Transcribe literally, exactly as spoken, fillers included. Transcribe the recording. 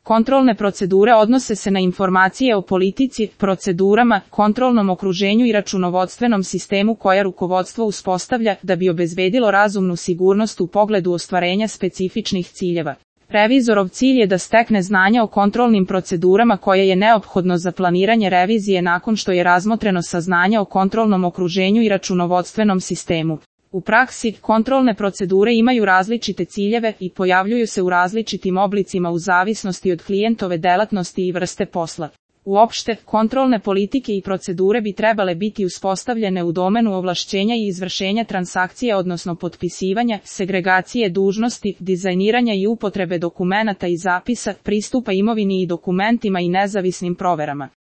Kontrolne procedure odnose se na informacije o politici, procedurama, kontrolnom okruženju i računovodstvenom sistemu koja rukovodstvo uspostavlja da bi obezbedilo razumnu sigurnost u pogledu ostvarenja specifičnih ciljeva. Revizorov cilj je da stekne znanja o kontrolnim procedurama koje je neophodno za planiranje revizije nakon što je razmotreno saznanja o kontrolnom okruženju i računovodstvenom sistemu. U praksi, kontrolne procedure imaju različite ciljeve i pojavljuju se u različitim oblicima u zavisnosti od klijentove delatnosti i vrste posla. Uopšte, kontrolne politike i procedure bi trebale biti uspostavljene u domenu ovlašćenja i izvršenja transakcije odnosno potpisivanja, segregacije dužnosti, dizajniranja i upotrebe dokumenata i zapisa, pristupa imovini i dokumentima i nezavisnim proverama.